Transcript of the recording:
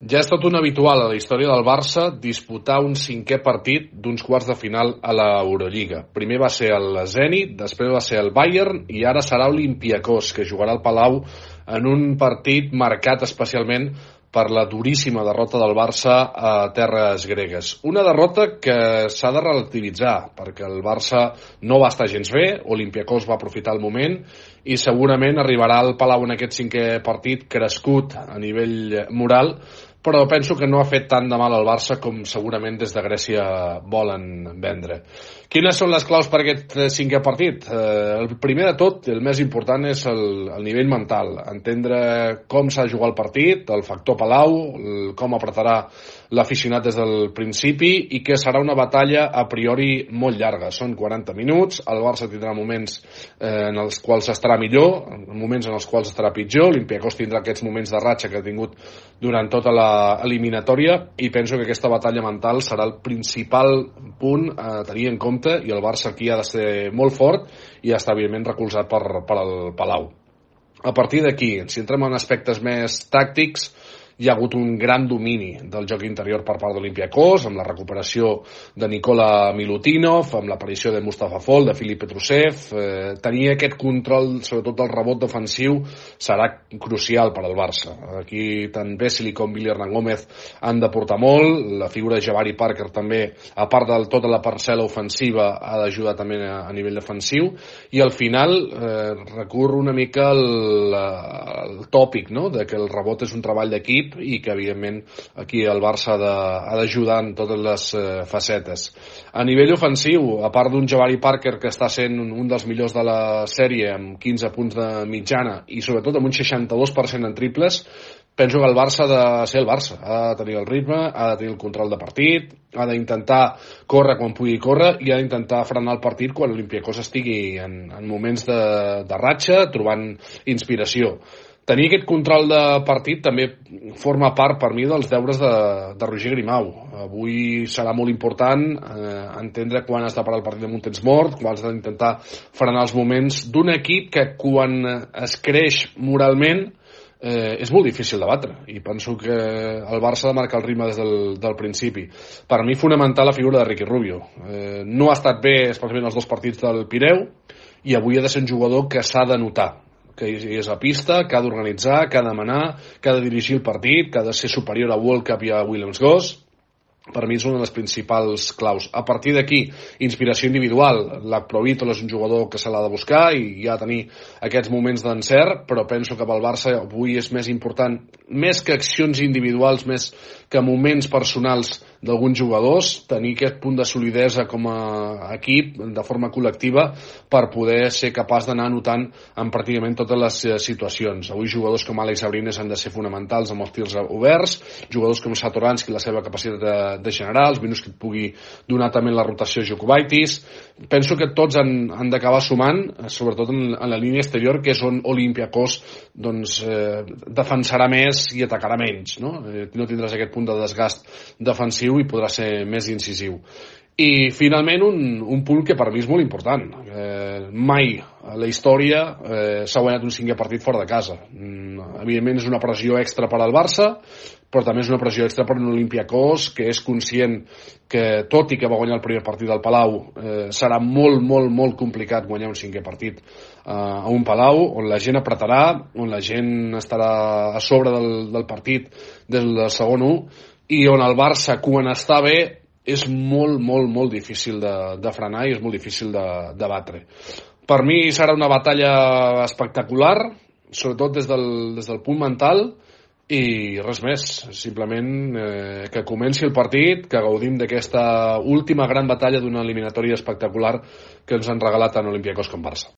Ja és tot un habitual a la història del Barça disputar un cinquè partit d'uns quarts de final a l'Eurolliga. Primer va ser el Zenit, després va ser el Bayern i ara serà l'Olympiacos, que jugarà al Palau en un partit marcat especialment per la duríssima derrota del Barça a terres gregues. Una derrota que s'ha de relativitzar, perquè el Barça no va estar gens bé, Olympiacos va aprofitar el moment i segurament arribarà al Palau en aquest cinquè partit crescut a nivell moral, però penso que no ha fet tant de mal al Barça com segurament des de Grècia volen vendre. Quines són les claus per aquest cinquè partit? El primer de tot, el més important, és el nivell mental. Entendre com s'ha de jugar el partit, el factor Palau, com apretarà l'aficionat des del principi i que serà una batalla a priori molt llarga. Són 40 minuts, el Barça tindrà moments en els quals estarà millor, moments en els quals estarà pitjor, l'Olympiacos tindrà aquests moments de ratxa que ha tingut durant tota l'eliminatòria i penso que aquesta batalla mental serà el principal punt a tenir en compte i el Barça aquí ha de ser molt fort i està evidentment recolzat per el Palau. A partir d'aquí, si entrem en aspectes més tàctics, hi ha hagut un gran domini del joc interior per part d'Olympiacos, amb la recuperació de Nikola Milutinov, amb l'aparició de Mustafa Fall, de Filip Petrusev. Tenir aquest control, sobretot del rebot defensiu, serà crucial per al Barça. Aquí tant Vesely com Willy Hernán Gómez han de portar molt, la figura de Jabari Parker també, a part de tota la parcel·la ofensiva, ha d'ajudar també a nivell defensiu, i al final recurre una mica al tòpic, no?, de que el rebot és un treball d'equip i que evidentment aquí el Barça ha d'ajudar en totes les facetes. A nivell ofensiu, a part d'un Jabari Parker que està sent un dels millors de la sèrie amb 15 punts de mitjana i sobretot amb un 62% en triples, penso que el Barça ha de ser el Barça, ha de tenir el ritme, ha de tenir el control de partit, ha d'intentar córrer quan pugui córrer i ha d'intentar frenar el partit quan l'Olympiacos estigui en moments de ratxa, trobant inspiració. Tenir aquest control de partit també forma part per mi dels deures de Roger Grimau. Avui serà molt important entendre quan has de parar el partit amb un temps mort, quan has d'intentar frenar els moments d'un equip que quan es creix moralment és molt difícil de batre i penso que el Barça ha de marcar el ritme des del principi. Per mi fonamental la figura de Ricky Rubio. No ha estat bé especialment els dos partits del Pireu i avui ha de ser un jugador que s'ha de notar, que és a pista, que ha d'organitzar, que ha de manar, que ha de dirigir el partit, que ha de ser superior a World Cup i a Williams-Goss. Per mi és una de les principals claus. A partir d'aquí, inspiració individual. L'Akprovitol és un jugador que se l'ha de buscar i ha de tenir aquests moments d'encert, però penso que pel Barça avui és més important, més que accions individuals, més que moments personals d'alguns jugadors, tenir aquest punt de solidesa com a equip, de forma col·lectiva, per poder ser capaç d'anar anotant en pràcticament totes les situacions. Avui jugadors com Alex Abrines han de ser fonamentals amb els tirs oberts, jugadors com Satoranski, la seva capacitat de generar, els minuts que et pugui donar també la rotació Jokubaitis. Penso que tots han d'acabar sumant, sobretot en la línia exterior, que és on Olympiacos defensarà més i atacarà menys, no? No tindràs aquest punt de desgast defensiu i podrà ser més incisiu. I finalment un punt que per mi és molt important. Mai a la història s'ha guanyat un cinquè partit fora de casa. Evidentment és una pressió extra per al Barça, però també és una pressió extra per un Olympiacos que és conscient que, tot i que va guanyar el primer partit del Palau, serà molt, molt, molt complicat guanyar un cinquè partit a un Palau on la gent apretarà, on la gent estarà a sobre del partit des del segon 1 i on el Barça, quan està bé, és molt, molt, molt difícil de frenar i és molt difícil de batre. Per mi serà una batalla espectacular, sobretot des del punt mental, i res més, simplement que comenci el partit, que gaudim d'aquesta última gran batalla d'una eliminatòria espectacular que ens han regalat tant Olympiacos com Barça.